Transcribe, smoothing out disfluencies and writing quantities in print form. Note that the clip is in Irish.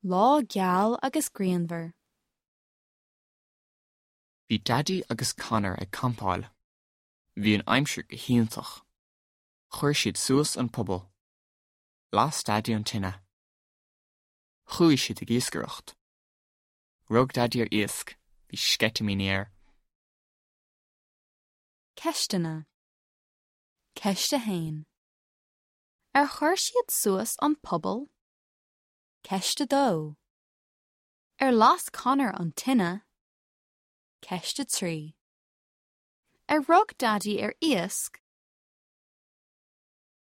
Lá geal agus grianmhar. Bhí Daidí agus Conor ag campáil. Bhí an aimsir go hiontach. Chuir siad suas an puball. Las Daidí an tine. Chuaigh siad ag iascaireacht. Rug Daidí ar iasc, bhí sceitimíní air. Ceisteanna. Ceist 1. Ar chuir siad suas an puball? Ceist 2. Ar las Conor an tine? Ceist 3. Ar rug Daidí ar iasc?